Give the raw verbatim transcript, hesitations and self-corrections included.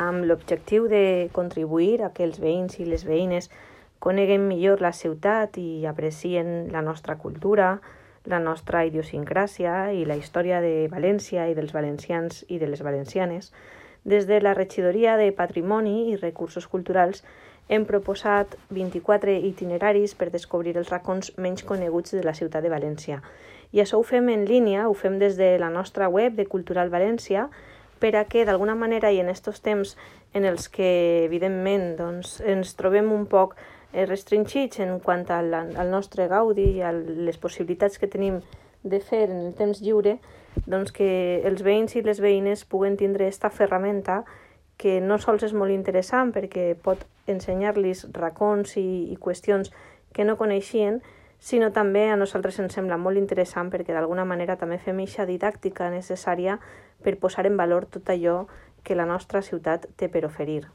amb l'objectiu de contribuir a que els veïns i les veïnes coneguen millor la ciutat i aprecien la nostra cultura, la nostra idiosincràsia i la història de València i dels valencians i de les valencianes. Des de la Regidoria de Patrimoni i Recursos Culturals hem proposat vint-i-quatre itineraris per descobrir els racons menys coneguts de la ciutat de València. I això ho fem en línia, ho fem des de la nostra web de Cultural València, per a que d'alguna manera i en aquests temps en els que evidentment doncs, ens trobem un poc restringits en quant al, al nostre gaudi i a les possibilitats que tenim de fer en el temps lliure, doncs que els veïns i les veïnes puguen tindre aquesta ferramenta que no sols és molt interessant perquè pot ensenyar-los racons i, i qüestions que no coneixien, sinó també a nosaltres ens sembla molt interessant perquè d'alguna manera també fem eixa didàctica necessària per posar en valor tot allò que la nostra ciutat té per oferir.